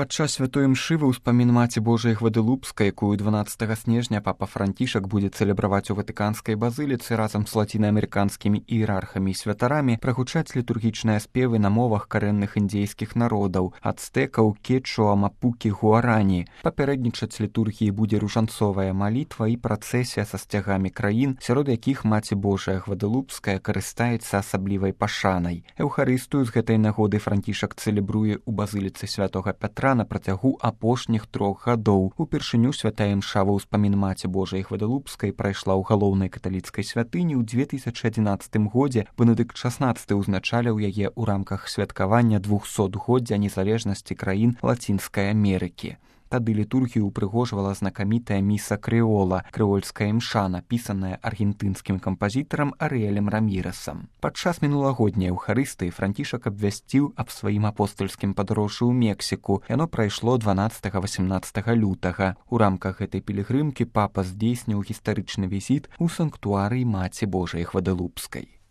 Падчас святой імшы ва ўспамін Маці Божай Гваделупскай, якую 12 снежня папа Францішак будзе цэлебраваць у Ватыканскай базыліцы разам з лацінаамерыканскімі іерархамі і святарамі, прагучаць літургічныя спевы на мовах карэнных індзейскіх народаў – ацтэкаў, кечуа, мапукі, гуарані. Папярэднічаць літургіі будзе ружанцовая малітва і працэсія са сцягамі краін, сярод якіх Маці Божая Гваделупская карыстаецца асаблівай пашанай. Эўхарыстыю з гэтай нагоды Францішак цэлебруе ў базыліцы святога Пятра на працягу апошніх 3 гадоў. Упершыню святая імша ва ўспамін Маці Божай Гваделупскай прайшла ў галоўнай каталіцкай святыні ў 2011 годзе. Бенедыкт XVI узначаліў яе ў рамках святкавання 200-годдзя незалежнасці краін Лацінскай Амерыкі. Тады літургію упрыгожвала знакамітая міса крэола, крэольская імша, напісаная аргентынскім кампазітарам Арыэлем Рамірасам. Падчас мінулагодняй Эўхарыстыі Францішак абвясціў аб сваім апостальскім падарожжы ў Мексіку. Яно прайшло 12-18 лютага. У рамках гэтай пілігрымкі папа здзейсніў гістарычны візіт у санктуарый Маці Божай Гваделупскай.